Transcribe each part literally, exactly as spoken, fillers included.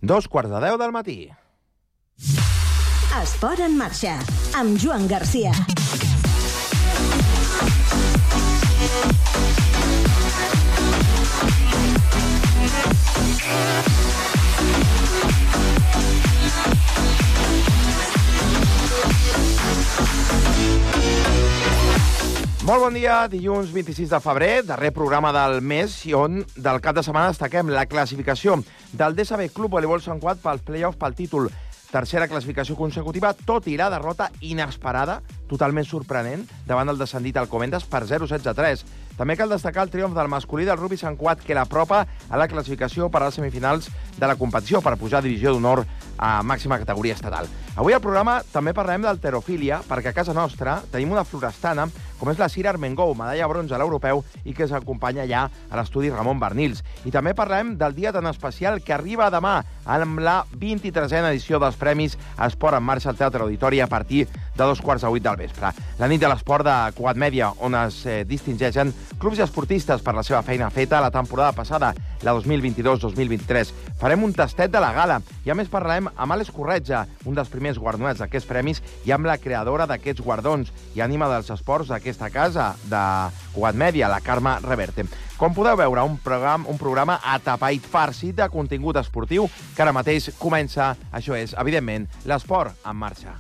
Dos quarts de deu del matí. Esport en marxa, amb Joan Garcia. Molt bon dia, dilluns vint-i-sis de febrer, darrer programa del mes i on del cap de setmana destaquem la classificació del D S B Club Voleibol Sant Cugat pels play-offs pel títol. Tercera classificació consecutiva, tot i la derrota inesperada, totalment sorprenent, davant el descendit Alcobendas per zero setze a tres. També cal destacar el triomf del masculí del Rugby Sant Cugat, que l'apropa a la classificació per a les semifinals de la competició per pujar a divisió d'honor a màxima categoria estatal. Avui al programa també parlarem d'halterofília, perquè a casa nostra tenim una florestana, com és la Sira Armengou, medalla bronze a l'europeu, i que s'acompanya ja a l'estudi Ramon Bernils. I també parlarem del dia tan especial que arriba demà amb la vint-i-tresena edició dels Premis Esport en Marxa al Teatre Auditori a partir de dos quarts de vuit del vespre. La nit de l'esport de Cugat Mèdia, on es eh, distingeixen clubs i esportistes per la seva feina feta la temporada passada, la dos mil vint-i-dos dos mil vint-i-tres. Farem un tastet de la gala i a més parlarem amb Àlex Corretja, un dels primers guardonats d'aquests premis, i amb la creadora d'aquests guardons i ànima dels esports d'aquesta casa de Cugat Mèdia, la Carme Reverte. Com podeu veure, un programa, un programa atapait farcit de contingut esportiu que ara mateix comença. Això és, evidentment, l'esport en marxa.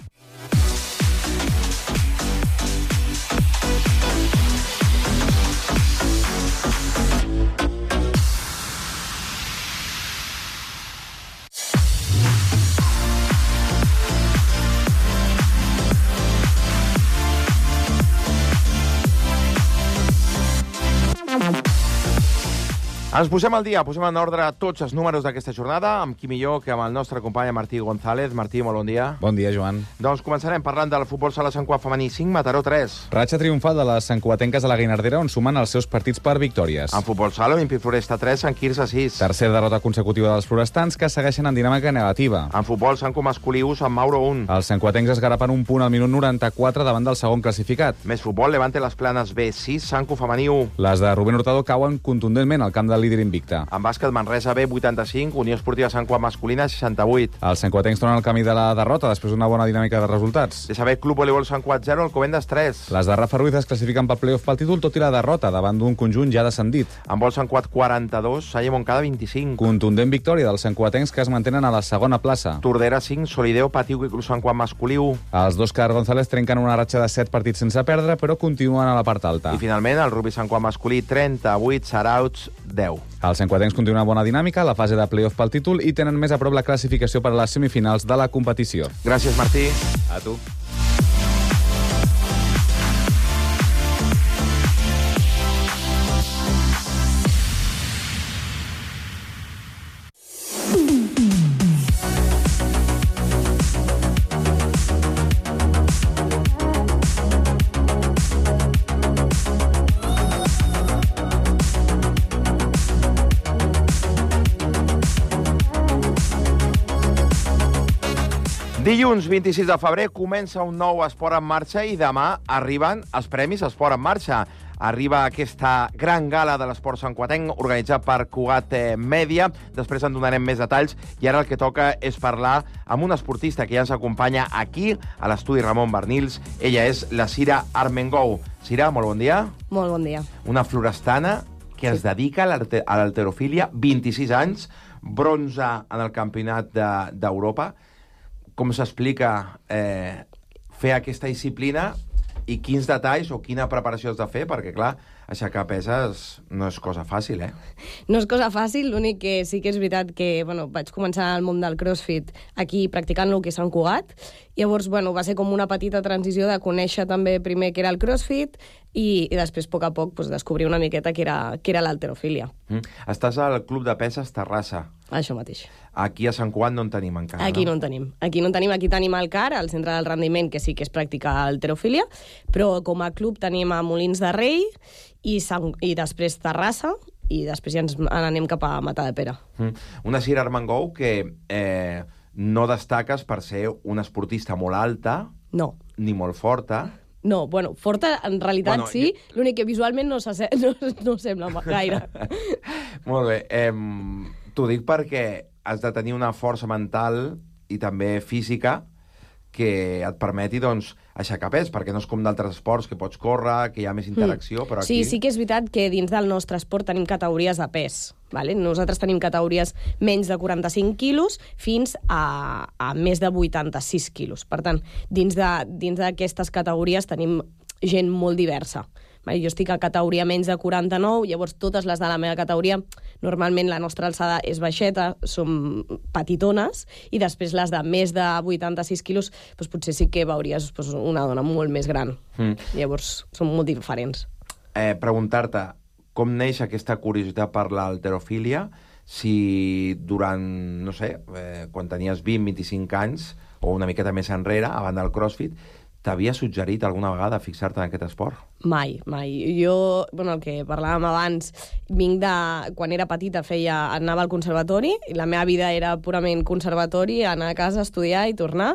Ens posem al dia, posem en ordre tots els números d'aquesta jornada, amb qui millor que amb el nostre company Martí González. Martí, molt bon dia. Bon dia, Joan. Doncs començarem parlant del futbol sala Sant Cugat femení cinc, Mataró tres. Ratxa triomfal de les santcugatenques a la Guinardera, on sumen els seus partits per victòries. En futbol sala, Olímpic Floresta tres, Sant Quirze sis. Tercera derrota consecutiva dels florestans, que segueixen en dinàmica negativa. En futbol, Sant Cu masculí u, Sant Mauro un. Els santcugatencs es garapen un punt al minut noranta-quatre davant del segon classificat. Més futbol, Levante les Planes B sis, Sant Cu femení u. Les de Rubén Hurtado cauen contundentment al camp del líder invicte. En bàsquet, Manresa B vuitanta-cinc, Unió Esportiva Sant Cugat masculina seixanta-vuit. Els santcugatencs tornen al camí de la derrota després d'una bona dinàmica de resultats. D S B Club Voleibol Sant Cugat zero, Alcobendas tres. Les de Rafa Ruiz es classifiquen pel play-off pel títol, tot i la derrota davant d'un conjunt ja descendit. En vol Sant Cugat quaranta-dos, Salle Montcada vint-i-cinc. Contundent victòria dels santcugatencs, que es mantenen a la segona plaça. Tordera cinc, Solideo Patiu i Club Sant Cugat masculí u. Els dos Car González trenquen una ratxa de set partits sense perdre, però continuen a la part alta. I finalment el Rugby Sant Cugat masculí trenta-vuit, Sarauts deu. Els santcugatencs continuen bona dinàmica a la fase de play-off pel títol i tenen més a prop la classificació per a les semifinals de la competició. Gràcies, Martí. A tu. Dilluns vint-i-sis de febrer comença un nou Esport en Marxa i demà arriben els Premis Esport en Marxa. Arriba aquesta gran gala de l'esport santcugatenc organitzat per Cugat Mèdia. Després en donarem més detalls i ara el que toca és parlar amb un esportista que ja ens acompanya aquí a l'estudi Ramon Bernils. Ella és la Sira Armengou. Sira, molt bon dia. Molt bon dia. Una florestana que sí. es dedica a l'halterofília, vint-i-sis anys, bronze en el campionat d'Europa. De, Com s'explica eh, fer aquesta disciplina i quins detalls o quina preparació has de fer? Perquè, clar, aixecar peses no és cosa fàcil, eh? No és cosa fàcil, l'únic que sí que és veritat que bueno, vaig començar al món del crossfit aquí practicant el que és Sant Cugat. Llavors, bueno, va ser com una petita transició de conèixer també primer què era el crossfit i, i després, a poc a poc, pues, descobrir una miqueta què era, què era l'halterofília. Mm. Estàs al Club de Peses Terrassa. Això mateix. Aquí a Sant Cugat no en tenim encara, Aquí no? no en tenim. Aquí no en tenim. Aquí tenim el C A R, el Centre del Rendiment, que sí que es practica halterofília, però com a club tenim a Molins de Rei i, Sant... i després Terrassa, i després ja ens anem cap a Matadepera. Mm. Una Sira Armengou que eh, no destaques per ser una esportista molt alta, no, ni molt forta. No, bueno, forta en realitat bueno, sí, jo... l'únic que visualment no, no, no sembla gaire. Molt bé. Eh, T'ho dic perquè has de tenir una força mental i també física que et permeti, doncs, aixecar pes, perquè no és com d'altres esports que pots córrer, que hi ha més interacció, mm. però aquí... Sí, sí que és veritat que dins del nostre esport tenim categories de pes. Vale? Nosaltres tenim categories menys de quaranta-cinc quilos fins a, a més de vuitanta-sis quilos. Per tant, dins de, dins d'aquestes categories tenim gent molt diversa. Jo estic a categoria menys de quaranta-nou, llavors totes les de la meva categoria, normalment la nostra alçada és baixeta, som petitones, i després les de més de vuitanta-sis quilos, doncs potser sí que veuries doncs, una dona molt més gran. Mm. Llavors són molt diferents. Eh, Preguntar-te, com neix aquesta curiositat per l'halterofília, si durant, no sé, eh, quan tenies vint a vint-i-cinc anys, o una miqueta més enrere, abans del CrossFit, t'havia suggerit alguna vegada fixar-te en aquest esport? Mai, mai. Jo, bueno, el que parlàvem abans, vinc de... Quan era petita feia... anava al conservatori, i la meva vida era purament conservatori, anar a casa, estudiar i tornar,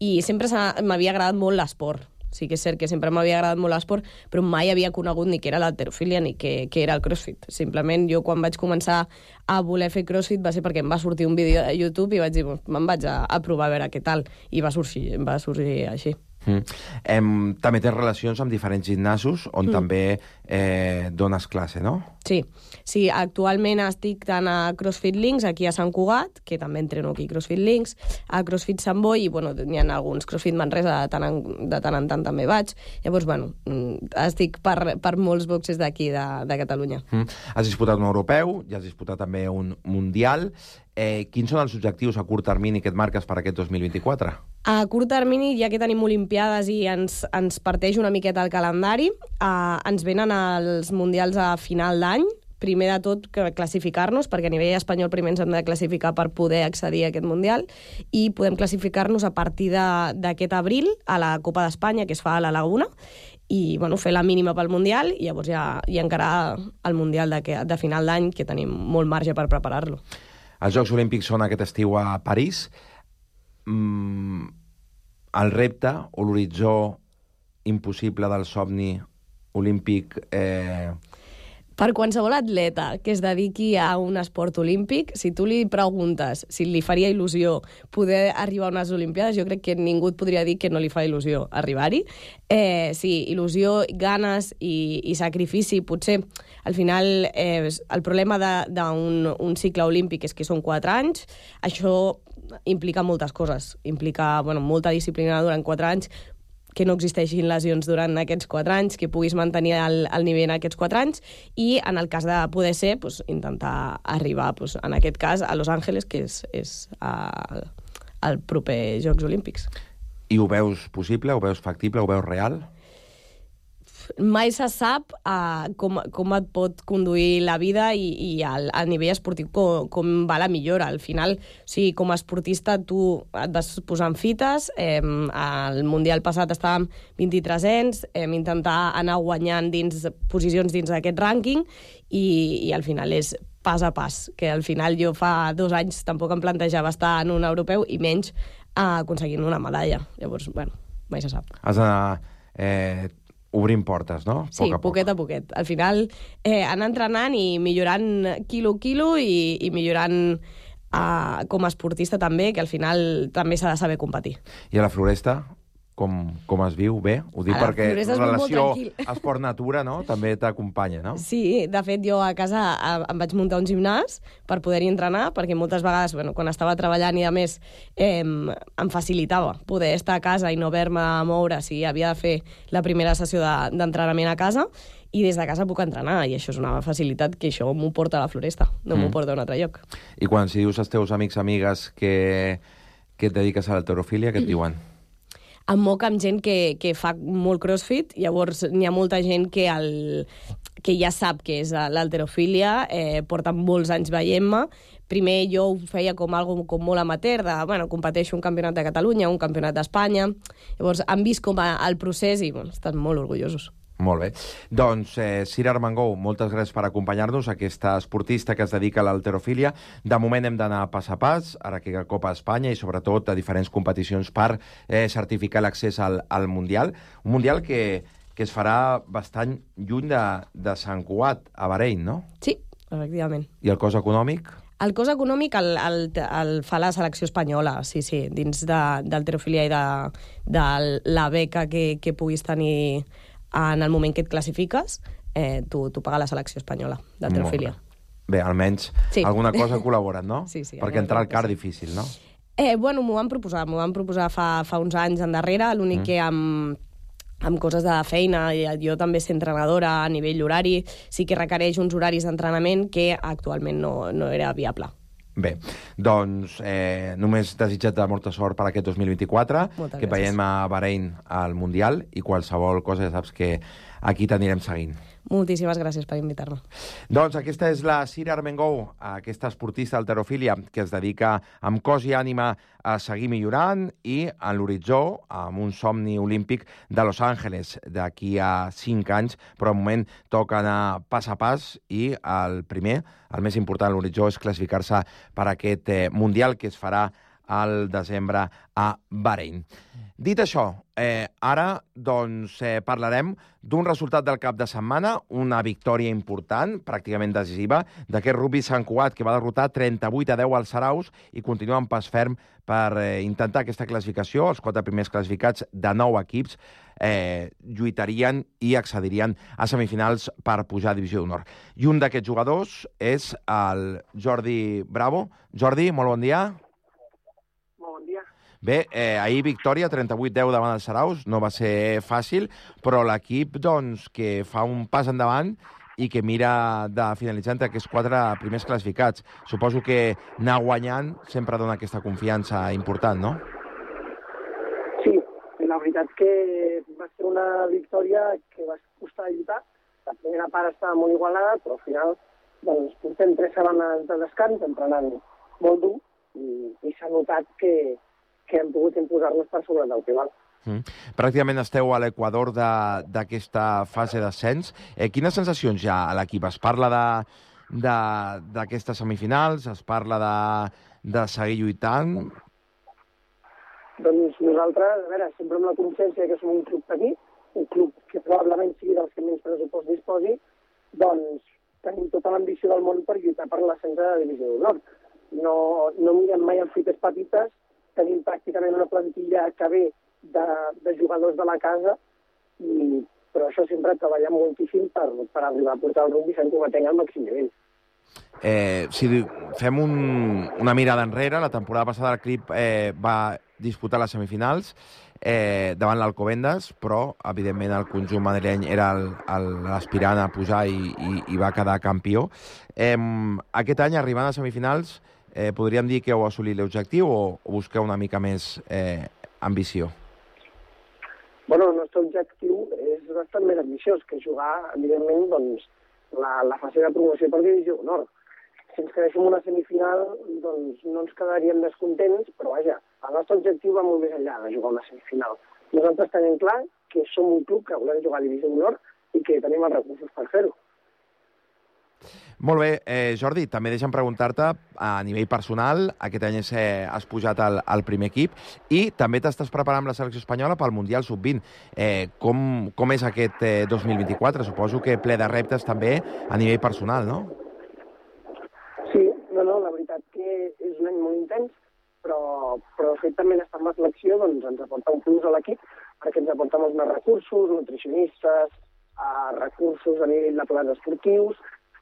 i sempre m'havia agradat molt l'esport. Sí que és cert que sempre m'havia agradat molt l'esport, però mai havia conegut ni què era l'halterofília ni què, què era el CrossFit. Simplement jo quan vaig començar a voler fer CrossFit va ser perquè em va sortir un vídeo a YouTube i vaig dir, me'n vaig a, a provar a veure què tal, i va sorgir, va sorgir així. Mm. Em, també tens relacions amb diferents gimnasos on mm. també eh, dones classe, no? Sí, sí, actualment estic tant a CrossFit Links, aquí a Sant Cugat, que també entreno aquí a CrossFit Links, a CrossFit Sant Boi, i bueno, n'hi ha alguns CrossFit Manresa, de tant en, de tant en tant també vaig. Llavors, bueno, estic per, per molts boxes d'aquí, de, de Catalunya. Mm. Has disputat un europeu, ja has disputat també un mundial. Eh, quins són els objectius a curt termini que et marques per aquest dos mil vint-i-quatre? A curt termini, ja que tenim Olimpiades i ens, ens parteix una miqueta el calendari, eh, ens venen els mundials a final d'any. Primer de tot, classificar-nos, perquè a nivell espanyol primer ens hem de classificar per poder accedir a aquest mundial, i podem classificar-nos a partir d'aquest abril a la Copa d'Espanya, que es fa a la Laguna, i bueno, fer la mínima pel Mundial, i llavors ja, ja encarar el Mundial de, de final d'any, que tenim molt marge per preparar-lo. Els Jocs Olímpics són aquest estiu a París. Mm, el repte o l'horitzó impossible del somni olímpic... Eh... Per qualsevol atleta que es dediqui a un esport olímpic, si tu li preguntes si li faria il·lusió poder arribar a unes Olimpiades, jo crec que ningú et podria dir que no li fa il·lusió arribar-hi. Eh, sí, il·lusió, ganes i, i sacrifici. Potser, al final, eh, el problema d'un un cicle olímpic és que són quatre anys. Això implica moltes coses. Implica bueno, molta disciplina durant quatre anys, que no existeixin lesions durant aquests quatre anys, que puguis mantenir el, el nivell en aquests quatre anys, i en el cas de poder ser, pues, intentar arribar, pues, en aquest cas, a Los Angeles, que és, és a, el proper Jocs Olímpics. I ho veus possible, ho veus factible, ho veus real? Mai se sap uh, com, com et pot conduir la vida i, i al, a nivell esportiu com, com va la millora. Al final, o sigui, com a esportista, tu et vas posant fites. Eh, al Mundial passat estàvem vint-i-tresens, hem intentar anar guanyant dins posicions dins d'aquest rànquing, i, i al final és pas a pas, que al final jo fa dos anys tampoc em plantejava estar en un europeu i menys uh, aconseguint una medalla. Llavors, bueno, mai se sap. Has d'anar... Eh... obrint portes, no? Sí, poc a poquet poc. a poquet. Al final, eh, anar entrenant i millorant quilo a quilo i, i millorant eh, com a esportista també, que al final també s'ha de saber competir. I a la Floresta, com, com es viu? Bé? Ho dic perquè la relació esport-natura, no?, també t'acompanya, no? Sí, de fet, jo a casa em vaig muntar un gimnàs per poder-hi entrenar, perquè moltes vegades, bueno, quan estava treballant i a més, eh, em facilitava poder estar a casa i no haver-me a moure si havia de fer la primera sessió d'entrenament a casa, i des de casa puc entrenar, i això és una facilitat que això m'ho porta a la Floresta, no mm. m'ho porta a un altre lloc. I quan si dius als teus amics amigues que, que et dediques a l'halterofília, què et diuen? Em moc amb gent que, que fa molt crossfit, llavors n'hi ha molta gent que, el, que ja sap què és l'halterofília, eh, porten molts anys veient-me. Primer jo ho feia com algo com molt amateur, de, bueno, competeixo un campionat de Catalunya, un campionat d'Espanya. Llavors han vist com a, el procés i bueno, estan molt orgullosos. Molt bé. Doncs, eh, Sira Armengou, moltes gràcies per acompanyar-nos, aquesta esportista que es dedica a l'halterofília. De moment hem d'anar pas a pas, ara que Copa Espanya i sobretot a diferents competicions per eh, certificar l'accés al, al Mundial. Un Mundial que, que es farà bastant lluny de, de Sant Cugat, a Bahrein, no? Sí, efectivament. I el cost econòmic? El cost econòmic el, el, el fa la selecció espanyola, sí, sí, dins de, d'halterofilia i de, de la beca que, que puguis tenir en el moment que et classifiques, eh, tu, tu paga la selecció espanyola d'halterofilia. Bé, almenys sí. alguna cosa ha col·laborat, no? Sí, sí. Perquè entrar al car sí. difícil, no? Eh, bueno, m'ho van proposar, m'ho van proposar fa, fa uns anys endarrere, l'únic mm. que amb, amb coses de feina, jo també ser entrenadora a nivell horari, sí que requereix uns horaris d'entrenament que actualment no, no era viable. Bé, doncs eh, només desitjar-te molta sort per aquest dos mil vint-i-quatre, Moltes que gràcies. veiem a Bahrein al Mundial i qualsevol cosa ja saps que aquí t'anirem seguint. Moltíssimes gràcies per invitar-me. Doncs aquesta és la Sira Armengou, aquesta esportista d'halterofília que es dedica amb cos i ànima a seguir millorant i en l'horitzó amb un somni olímpic de Los Angeles d'aquí a cinc anys, però al moment toca anar pas a pas i el primer, el més important a l'horitzó, és classificar-se per aquest eh, Mundial que es farà al desembre a Bahrein. Dit això, eh, ara doncs, eh, parlarem d'un resultat del cap de setmana, una victòria important, pràcticament decisiva, d'aquest Rugby Sant Cugat, que va derrotar trenta-vuit a deu als Saraus i continua en pas ferm per eh, intentar aquesta classificació. Els quatre primers classificats de nou equips eh, lluitarien i accedirien a semifinals per pujar a Divisió d'Honor. I un d'aquests jugadors és el Jordi Bravo. Jordi, molt bon dia. Bé, eh, ahir victòria, trenta-vuit a deu davant els Saraus, no va ser fàcil, però l'equip doncs, que fa un pas endavant i que mira de finalitzar entre aquests quatre primers classificats. Suposo que anar guanyant sempre dona aquesta confiança important, no? Sí, la veritat que va ser una victòria que va costar de lluitar. La primera part estava molt igualada, però al final doncs, portem tres setmanes de descans, entrenant molt dur, i, i s'ha notat que que hem pogut imposar-nos per sobre del rival. Mm. Pràcticament esteu a l'equador d'aquesta fase d'ascens. Eh, quines sensacions hi ha a l'equip? Es parla d'aquestes semifinals? Es parla de, de seguir lluitant? Doncs nosaltres, a veure, sempre amb la consciència que som un club petit, un club que probablement sigui dels que menys pressupost disposi, doncs tenim tota l'ambició del món per lluitar per l'ascens de la Divisió d'Honor. No, no mirem mai en fites petites, tenim pràcticament una plantilla que ve de, de jugadors de la casa, i, però això sempre treballant moltíssim per, per arribar a portar el rugby Sant Cugatenc al màxim nivell. Eh, si fem un, una mirada enrere, la temporada passada el Clip eh, va disputar les semifinals eh, davant l'Alcobendas, però, evidentment, el conjunt madrileny era l'aspirant a pujar i, i, i va quedar campió. Eh, aquest any, arribant a semifinals, Eh, podríem dir que heu assolit l'objectiu o, o busqueu una mica més eh, ambició? Bueno, el nostre objectiu és bastant més ambiciós que jugar, evidentment, doncs, la, la fase de promoció per Divisió d'Honor. Si ens quedéssim una semifinal, doncs no ens quedaríem descontents, però vaja, el nostre objectiu va molt més enllà de jugar una semifinal. Nosaltres tenim clar que som un club que volem jugar a Divisió d'Honor i que tenim els recursos per fer-ho. Molt bé, eh, Jordi, també deixa'm preguntar-te a nivell personal, aquest any eh, has pujat al, al primer equip i també t'estàs preparant amb la selecció espanyola pel Mundial sub vint. Eh, com, com és aquest eh, dos mil vint-i-quatre? Suposo que ple de reptes també a nivell personal, no? Sí, no, no, la veritat que és un any molt intens, però, però el fet també d'estar amb la selecció doncs, ens aporta un plus a l'equip, perquè ens aporta molts més recursos, nutricionistes, eh, recursos a nivell de plans esportius,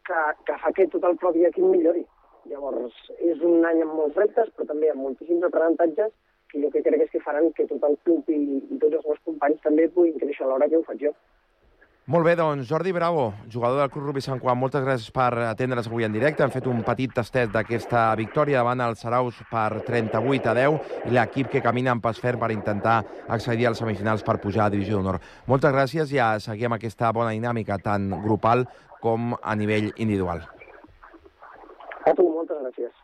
que, que fa que tot el propi equip millori. Llavors, és un any amb molts reptes, però també amb moltíssims aprenentatges que jo que crec és que faran que tot el club i, i tots els meus companys també puguin créixer a l'hora que ho faig jo. Molt bé, doncs, Jordi Bravo, jugador del Club Rugby Sant Cugat, moltes gràcies per atendre's avui en directe. Hem fet un petit tastet d'aquesta victòria davant els Saraus per trenta-vuit a deu i l'equip que camina en pas ferm per intentar accedir als semifinals per pujar a Divisió d'Honor. Moltes gràcies i a seguir amb aquesta bona dinàmica tant grupal com a nivell individual. A tu, moltes gràcies.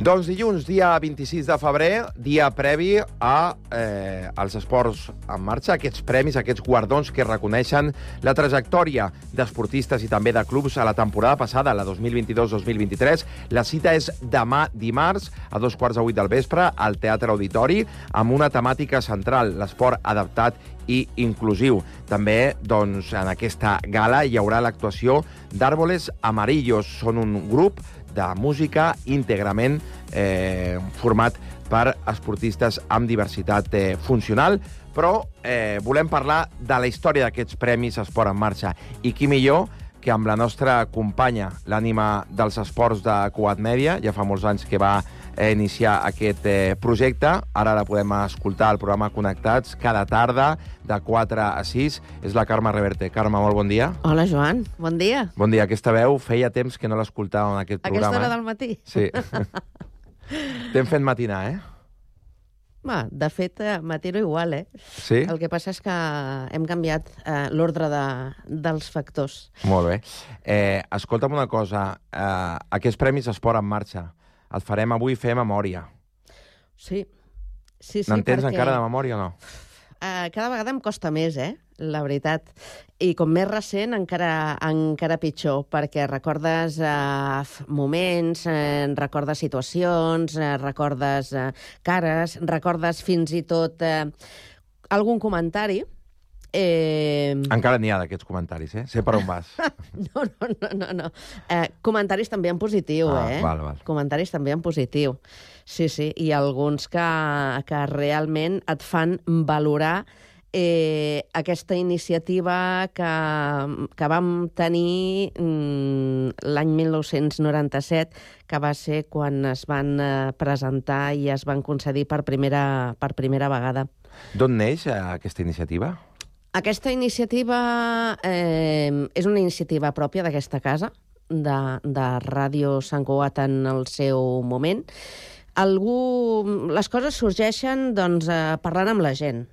Doncs dilluns, dia vint-i-sis de febrer, dia previ a eh, als esports en marxa, aquests premis, aquests guardons que reconeixen la trajectòria d'esportistes i també de clubs a la temporada passada, la dos mil vint-i-dos dos mil vint-i-tres. La cita és demà dimarts, a dos quarts de vuit del vespre, al Teatre Auditori, amb una temàtica central, l'esport adaptat i inclusiu. També, doncs, en aquesta gala hi haurà l'actuació d'Árboles Amarillos. Són un grup de música íntegrament eh, format per esportistes amb diversitat eh, funcional, però eh, volem parlar de la història d'aquests premis Esport en Marxa. I qui millor que amb la nostra companya, l'ànima dels esports de Cugat Mèdia, ja fa molts anys que va eh, iniciar aquest eh, projecte, ara la podem escoltar al programa Connectats cada tarda, de quatre a sis, és la Carme Reverte. Carme, molt bon dia. Hola, Joan. Bon dia. Bon dia. Aquesta veu feia temps que no l'escoltàvem en aquest programa. Aquesta hora eh? del matí? Sí. T'hem fet matinar, eh? Va, de fet, matino igual, eh? Sí? El que passa és que hem canviat eh, l'ordre de, dels factors. Molt bé. Eh, escolta'm una cosa. Eh, aquests premis Esport en Marxa, els farem avui fer memòria. Sí. Sí, sí, N'entens perquè... encara de memòria o no? Uh, cada vegada em costa més, eh? La veritat. I com més recent, encara, encara pitjor, perquè recordes uh, moments, uh, recordes situacions, uh, recordes uh, cares, recordes fins i tot uh, algun comentari. Eh... Encara n'hi ha d'aquests comentaris, eh? Sé per on vas. No, no, no, no. no. Eh, comentaris també en positiu, ah, eh? Val, val. Comentaris també en positiu. Sí, sí, i alguns que, que realment et fan valorar eh, aquesta iniciativa que, que vam tenir mm, l'any mil nou-cents noranta-set, que va ser quan es van eh, presentar i es van concedir per primera, per primera vegada. D'on neix eh, aquesta iniciativa? Aquesta iniciativa eh, és una iniciativa pròpia d'aquesta casa, de, de Ràdio Sant Cugat en el seu moment. Algú... Les coses sorgeixen doncs, eh, parlant amb la gent.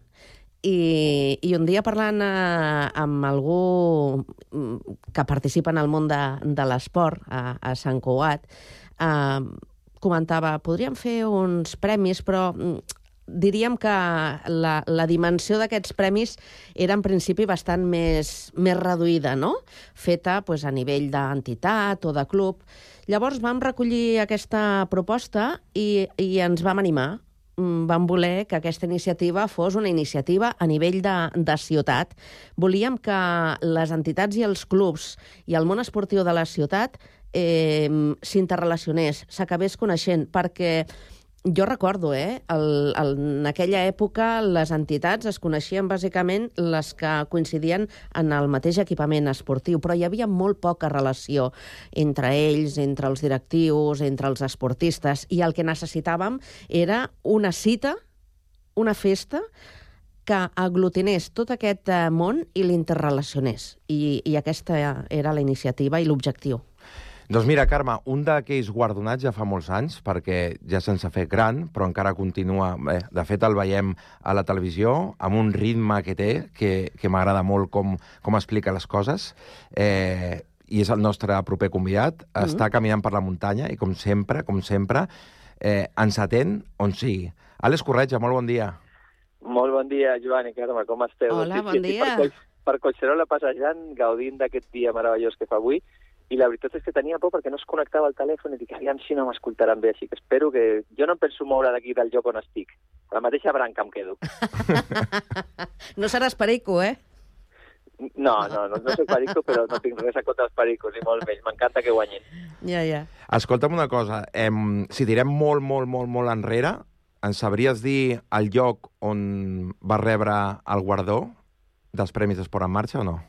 I, i un dia parlant eh, amb algú que participa en el món de, de l'esport a, a Sant Cugat, eh, comentava, podríem fer uns premis, però diríem que la, la dimensió d'aquests premis era en principi bastant més, més reduïda, no? Feta pues, a nivell d'entitat o de club. Llavors vam recollir aquesta proposta i, i ens vam animar. Vam voler que aquesta iniciativa fos una iniciativa a nivell de, de ciutat. Volíem que les entitats i els clubs i el món esportiu de la ciutat eh, s'interrelacionés, s'acabés coneixent, perquè jo recordo, eh, el, el, en aquella època les entitats es coneixien bàsicament les que coincidien en el mateix equipament esportiu, però hi havia molt poca relació entre ells, entre els directius, entre els esportistes, i el que necessitàvem era una cita, una festa, que aglutinés tot aquest món i l'interrelacionés. I, i aquesta era la iniciativa i l'objectiu. Doncs mira, Carme, un d'aquells guardonats ja fa molts anys, perquè ja se'ns ha fet gran, però encara continua... Bé, de fet, el veiem a la televisió, amb un ritme que té, que, que m'agrada molt com, com explica les coses, eh, i és el nostre proper convidat. Mm-hmm. Està caminant per la muntanya i, com sempre, com sempre, eh, ens atén on sigui. Àlex Corretja, molt bon dia. Molt bon dia, Joan i Carme, com esteu? Hola, bon dia. Per, per Collserola passejant, gaudint d'aquest dia meravellós que fa avui, i la veritat és que tenia por perquè no es connectava el telèfon i dic, aviam si no m'escoltaran bé, així que espero que... Jo no em penso moure d'aquí del lloc on estic. A la mateixa branca em quedo. No seràs perico, eh? No, no, no, no soc perico, però no tinc res a contra els pericos, ni molt menys. M'encanta que guanyin. Ja, ja. Escolta'm una cosa, eh, si tirem molt, molt, molt, molt enrere, ens sabries dir el lloc on va rebre el guardó dels Premis d'Esport en Marxa o no?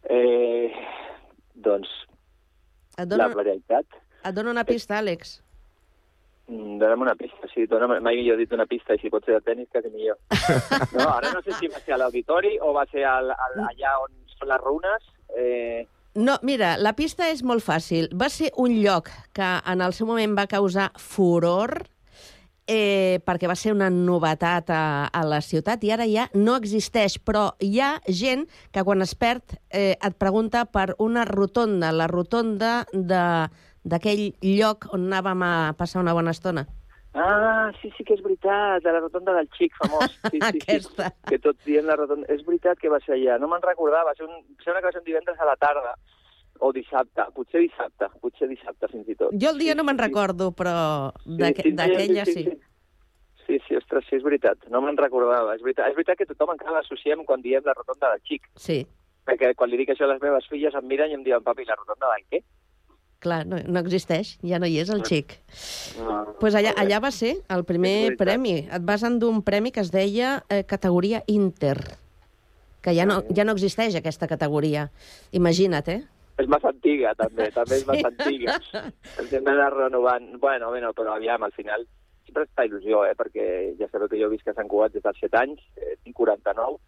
Eh... Doncs, dono, la veritat... Et dono una pista, Àlex. Dóna'm una pista, sí. Dóna'm, mai millor dit una pista, i si pot ser de tenis, quasi millor. No, ara no sé si va ser a l'auditori o va ser al, al, allà on són les runes. Eh... No, mira, la pista és molt fàcil. Va ser un lloc que en el seu moment va causar furor, eh, perquè va ser una novetat a, a la ciutat i ara ja no existeix, però hi ha gent que quan es perd eh, et pregunta per una rotonda, la rotonda de, d'aquell lloc on anàvem a passar una bona estona. Ah, sí, sí que és veritat, de la rotonda del Xic, famós. Sí, sí, Aquesta. Sí, que tots dient la rotonda. És veritat que va ser allà, no me'n recordava, va ser un... sembla que va ser un divendres a la tarda, o dissabte, potser dissabte, potser dissabte fins i tot. Jo el dia sí, no me'n sí, recordo, però sí, d'aquella sí, sí. sí. Sí, sí, ostres, sí, és veritat, no me'n recordava. És veritat, és veritat que tothom encara l'associem quan diem la rotonda del Xic. Sí. Perquè quan li dic això a les meves filles em miren i em diuen, papi, la rotonda del què? Clar, no, no existeix, ja no hi és el Xic. No, Pues allà, allà va ser el primer premi. Et vas endur un premi que es deia eh, categoria Inter, que ja no, ja no existeix aquesta categoria. Imagina't, eh? És massa antiga, també, també és massa antiga. Ens hem d'anar renovant. Bueno, bueno, però aviam, al final, sempre està il·lusió, eh? Perquè ja sabeu que jo visc a Sant Cugat des dels set anys, eh, tinc quaranta-nou,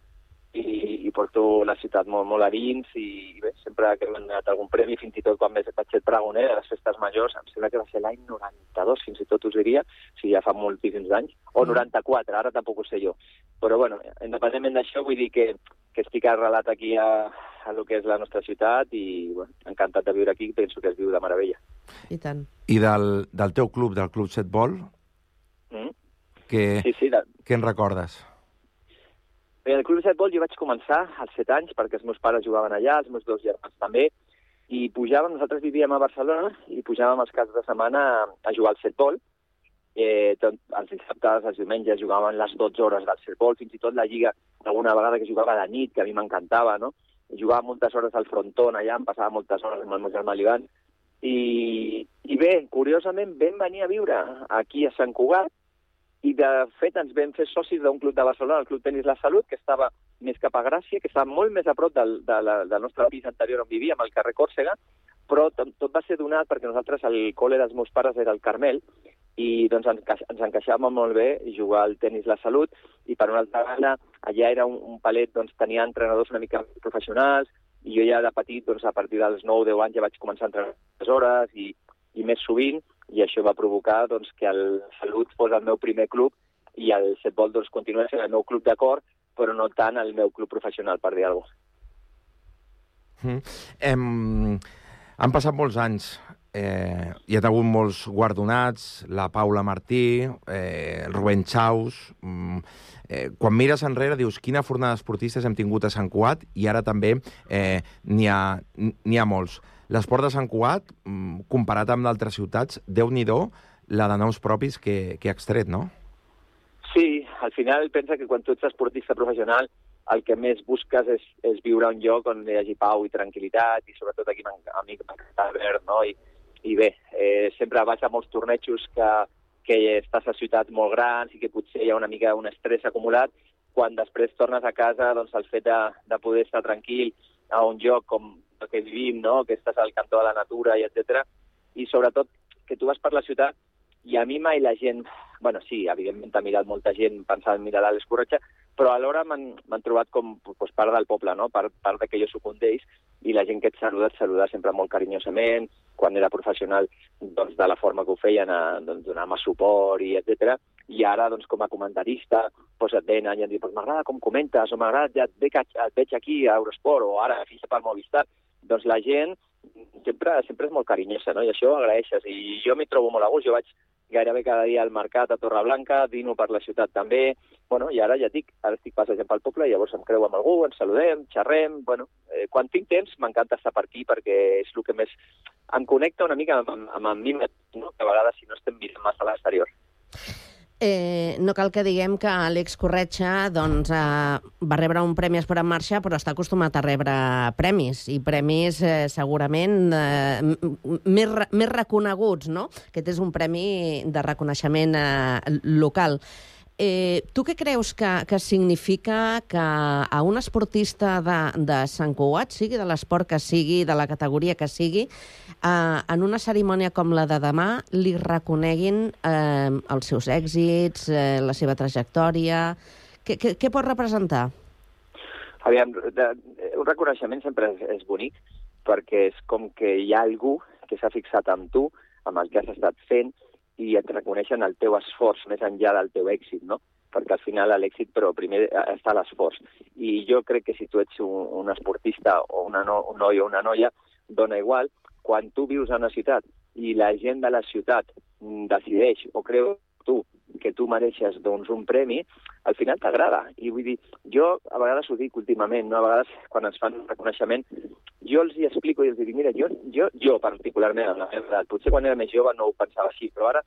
i, i porto la ciutat molt, molt a dins, i bé, sempre que m'han donat algun premi, fins i tot quan vaig ser pregoner a les festes majors, em sembla que va ser l'any noranta-dos, fins i tot us diria, o sigui, ja fa moltíssims anys, o noranta-quatre, ara tampoc ho sé jo. Però, bueno, independentment d'això, vull dir que, que estic arrelat aquí a, a lo que és la nostra ciutat i, bueno, encantat de viure aquí, penso que es viu de meravella. I tant. I del, del teu club, del Club Setbol, Mm? que, Sí, sí, de... què en recordes? Bé, el Club de Setbol jo vaig començar als set anys perquè els meus pares jugaven allà, els meus dos germans també, i pujàvem, nosaltres vivíem a Barcelona, i pujàvem els caps de setmana a, a jugar al setbol. Eh, tot, els dissabtes, els diumenges, jugaven les dotze hores del setbol, fins i tot la lliga, alguna vegada que jugava a la nit, que a mi m'encantava, no? I jugava moltes hores al frontón allà, em passava moltes hores amb el meu germà l'Ivan. I, I bé, curiosament, vam venir a viure aquí a Sant Cugat, i de fet ens vam fer socis d'un club de Barcelona, el Club Tenis La Salut, que estava més cap a Gràcia, que estava molt més a prop del, de la, del nostre pis anterior on vivíem, al carrer Còrsega, però tot, tot va ser donat perquè nosaltres, el col·le dels meus pares era el Carmel, i doncs ens, ens encaixàvem molt bé jugar al Tenis La Salut, i per una altra banda, allà era un, un palet, doncs tenia entrenadors una mica professionals, i jo ja de petit, doncs a partir dels nou o deu anys ja vaig començar a entrenar les hores i, i més sovint, i això va provocar doncs, que el Salut fos el meu primer club i el Setbol doncs, continués sent el meu club de cor, però no tant el meu club professional, per dir alguna cosa. Mm. Hem, han passat molts anys. Eh, hi ha hagut molts guardonats, la Paula Martí, eh, el Rubén Chaus. Mm, eh, quan mires enrere dius quina fornada esportistes hem tingut a Sant Cugat i ara també eh, n'hi ha, n'hi ha molts. L'esport de Sant Cugat, mm, comparat amb d'altres ciutats, Déu-n'hi-do la de noms propis que, que ha extret, no? Sí, al final pensa que quan tu ets esportista professional el que més busques és, és viure a un lloc on hi hagi pau i tranquil·litat, i sobretot aquí a mi m'encanta verd, no? I, i bé, eh, sempre vaig a molts tornejos que, que estàs a ciutats molt grans i que potser hi ha una mica un estrès acumulat, quan després tornes a casa, doncs el fet de, de poder estar tranquil a un lloc com el que vivim, no? Que estàs al cantó de la natura, i etcètera. I sobretot que tu vas per la ciutat i a mi mai la gent... bueno, sí, evidentment t'ha mirat molta gent pensant en mirar l'Àlex Corretja, però alhora m'han trobat com pues, part del poble, no? Part, part de que jo soc un d'ells, i la gent que et saluda, et saluda sempre molt carinyosament, quan era professional, doncs, de la forma que ho feien, a, doncs, donar-me suport, i etcètera. I ara, doncs, com a comentarista, doncs, et venen i et diuen, pues, m'agrada com comentes, o m'agrada, ja et, veig, et veig aquí a Eurosport, o ara fitxa per Movistar. Doncs la gent sempre, sempre és molt carinyosa, no? I això ho agraeixes. I jo m'hi trobo molt a gust. Jo vaig gairebé cada dia al mercat a Torreblanca, dino per la ciutat també. Bueno, i ara ja dic, ara estic passejant pel poble i llavors em creu amb algú, ens saludem, xerrem. Bueno, eh, quan tinc temps m'encanta estar per aquí perquè és el que més em connecta una mica amb, amb, amb mi mateix, no? Que a vegades si no estem mirant massa a l'exterior. Eh, no cal que diguem que Àlex Corretja doncs, eh, va rebre un Premi Esport en Marxa, però està acostumat a rebre premis, i premis eh, segurament eh, més, més reconeguts, no? Aquest és un premi de reconeixement eh, local. Eh, tu què creus que, que significa que a un esportista de, de Sant Cugat, sigui de l'esport que sigui, de la categoria que sigui, eh, en una cerimònia com la de demà li reconeguin eh, els seus èxits, eh, la seva trajectòria? Què, què, què pot representar? Aviam, de, un reconeixement sempre és, és bonic, perquè és com que hi ha algú que s'ha fixat en tu, amb el que has estat fent, i et reconeixen el teu esforç més enllà del teu èxit, no? Perquè al final l'èxit, però primer està l'esforç. I jo crec que si tu ets un, un esportista o una no, un noi o una noia, dona igual, quan tu vius a una ciutat i la gent de la ciutat decideix o creu tu que tu mereixes doncs, un premi, al final t'agrada. I vull dir, jo a vegades ho dic últimament, no? A vegades quan ens fan un reconeixement, jo els hi explico i els dic, mira, jo, jo, jo particularment, en la meva edat, potser quan era més jove no ho pensava així, però ara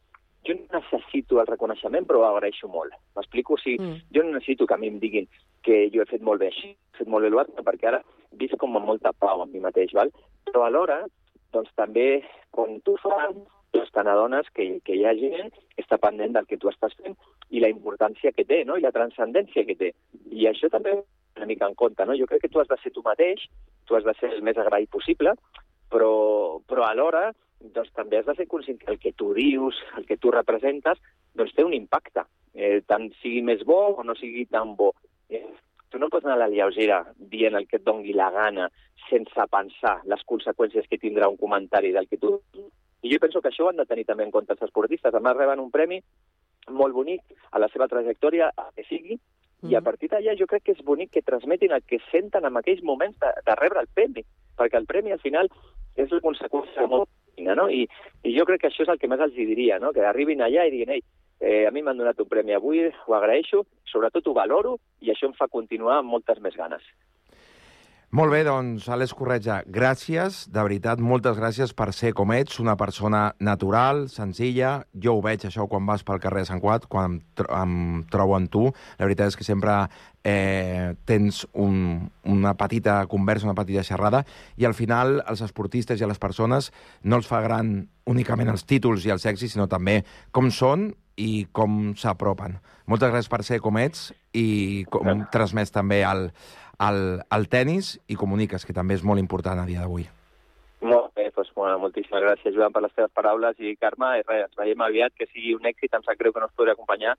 jo no necessito el reconeixement, però ho agraeixo molt. M'explico? O sigui, mm. jo no necessito que a mi em diguin que jo he fet molt bé així, he fet molt bé l'altre, perquè ara visc com amb molta pau amb mi mateix, val? Però alhora, doncs també, quan tu fas, doncs te n'adones que, que hi ha gent que està pendent del que tu estàs fent i la importància que té, no? I la transcendència que té. I això també una mica en compte, no? Jo crec que tu has de ser tu mateix, tu has de ser el més agraït possible, però, però alhora doncs, també has de ser conscient que el que tu dius, el que tu representes, doncs té un impacte, eh, tant sigui més bo o no sigui tan bo. Eh, tu no pots anar a la lleugera dient el que et dongui la gana sense pensar les conseqüències que tindrà un comentari del que tu... I jo penso que això ho han de tenir també en compte els esportistes. A més, reben un premi molt bonic a la seva trajectòria, a que sigui, mm. i a partir d'allà jo crec que és bonic que transmetin el que senten en aquells moments de, de rebre el premi, perquè el premi al final és la conseqüència molt fina, no? I, I jo crec que això és el que més els diria, no? Que arribin allà i diguin, ei, eh, a mi m'han donat un premi avui, ho agraeixo, sobretot ho valoro, i això em fa continuar amb moltes més ganes. Molt bé, doncs, Àlex Corretja, gràcies, de veritat, moltes gràcies per ser com ets, una persona natural, senzilla. Jo ho veig, això, quan vas pel carrer de Sant Cugat, quan em, tro em trobo amb tu. La veritat és que sempre eh, tens un, una petita conversa, una petita xerrada, i al final els esportistes i a les persones no els fa gran únicament els títols i els èxits, sinó també com són i com s'apropen. Moltes gràcies per ser com ets i com transmets també el... Al, al tennis i comuniques, que també és molt important a dia d'avui. Molt bé, doncs, bueno, moltíssimes gràcies, Joan, per les teves paraules, i Carme, i res, ens veiem aviat, que sigui un èxit, em sap greu que no us podré acompanyar,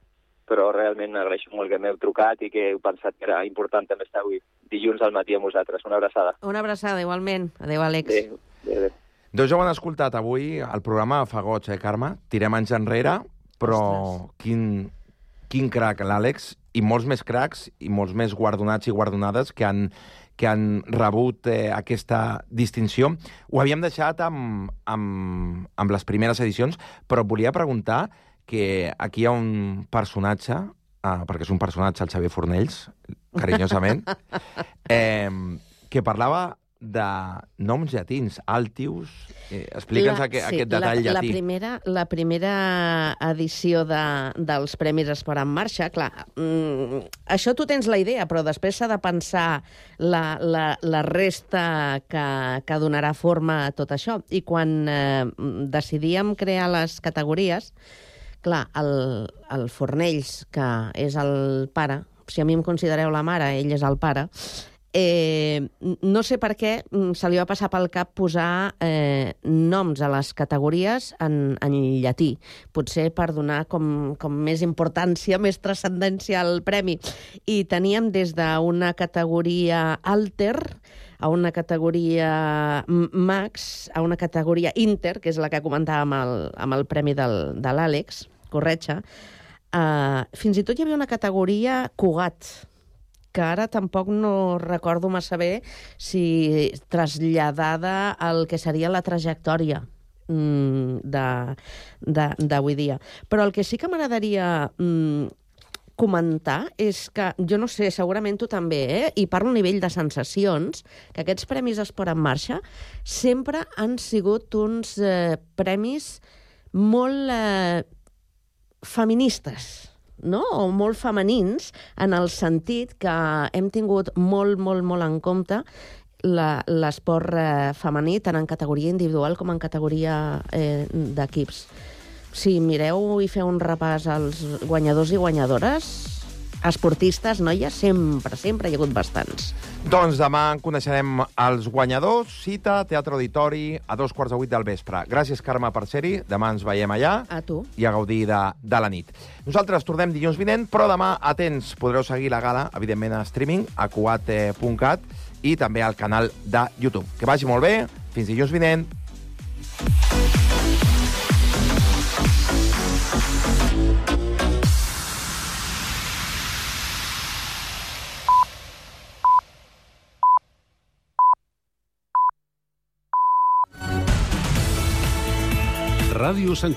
però realment agraeixo molt que m'heu trucat i que heu pensat que era important també estar avui dilluns al matí amb vosaltres. Una abraçada. Una abraçada, igualment. Adéu, Àlex. Adéu. Adéu, adéu. Doncs ja ho han escoltat avui, el programa fa goig, eh, Carme? Tirem anys enrere, però quin, quin crac, l'Àlex, i molts més cracs i molts més guardonats i guardonades que han, que han rebut eh, aquesta distinció. Ho havíem deixat amb, amb, amb les primeres edicions, però volia preguntar que aquí hi ha un personatge, eh, perquè és un personatge, el Xavier Fornells, carinyosament, eh, que parlava de noms llatins, Altius. Eh, Explica'ns aquest, sí, aquest detall la, llatí. La primera, la primera edició de, dels Premis Esport en Marxa, clar, mm, això tu tens la idea, però després s'ha de pensar la, la, la resta que, que donarà forma a tot això. I quan eh, decidíem crear les categories, clar, el, el Fornells, que és el pare, si a mi em considereu la mare, ell és el pare, Eh, no sé per què se li va passar pel cap posar eh, noms a les categories en, en llatí. Potser per donar com, com més importància, més transcendència al premi. I teníem des d'una categoria alter a una categoria max, a una categoria inter, que és la que comentàvem amb el, amb el premi del, de l'Àlex Corretja. Eh, fins i tot hi havia una categoria Cugat, que ara tampoc no recordo massa bé si traslladada al que seria la trajectòria d'avui dia. Però el que sí que m'agradaria mm, comentar és que, jo no sé, segurament tu també, eh? I parlo a nivell de sensacions, que aquests Premis Esport en Marxa sempre han sigut uns eh, premis molt eh, feministes, no? O molt femenins, en el sentit que hem tingut molt, molt, molt en compte l'esport eh, femení, tant en categoria individual com en categoria eh, d'equips. Si mireu i feu un repàs als guanyadors i guanyadores, esportistes, noies, sempre, sempre hi ha hagut bastants. Doncs demà en coneixerem els guanyadors. Cita, Teatre Auditori, a dos quarts de vuit del vespre. Gràcies, Carme, per ser-hi. Demà ens veiem allà. A tu. I a gaudir de, de la nit. Nosaltres tornem dilluns vinent, però demà, atents, podreu seguir la gala, evidentment, a streaming, a cuat punt cat i també al canal de YouTube. Que vagi molt bé. Fins dilluns vinent. Ràdio Sant